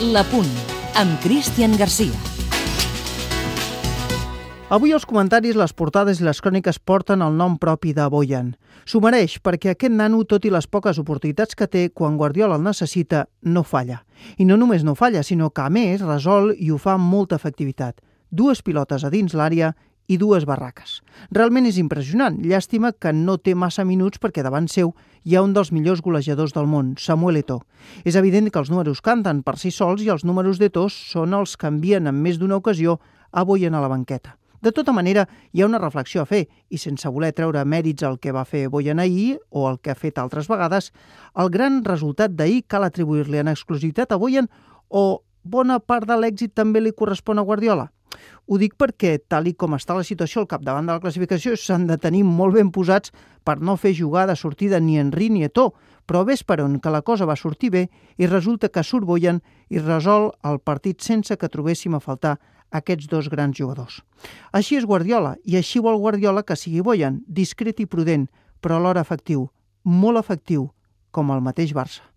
La Punt, amb Cristian Garcia. Avui els comentaris, les portades i les cròniques porten el nom propi de Bojan. S'ho mereix perquè aquest nano, tot i les poques oportunitats que té, quan Guardiola el necessita, no falla. I no només no falla, sinó que a més resol i ho fa amb molta efectivitat. 2 pilotes a dins l'àrea i 2 barraques. Realment és impressionant. Llàstima que no té massa minuts perquè davant seu hi ha un dels millors golejadors del món, Samuel Eto'o. És evident que els números canten per si sols i els números d'Eto'o són els que envien en més d'una ocasió a Bojan a la banqueta. De tota manera, hi ha una reflexió a fer i sense voler treure mèrits al que va fer Bojan ahir o el que ha fet altres vegades, el gran resultat d'ahir cal atribuir-li en exclusivitat a Bojan o bona part de l'èxit també li correspon a Guardiola? Ho dic perquè, tal i com està la situació al capdavant de la classificació, s'han de tenir molt ben posats per no fer jugada sortida ni Henry ni Eto'o, però ves per on que la cosa va sortir bé i resulta que surt Bojan i resol el partit sense que trobéssim a faltar aquests 2 grans jugadors. Així és Guardiola, i així vol Guardiola que sigui Bojan, discret i prudent, però alhora efectiu, molt efectiu, com el mateix Barça.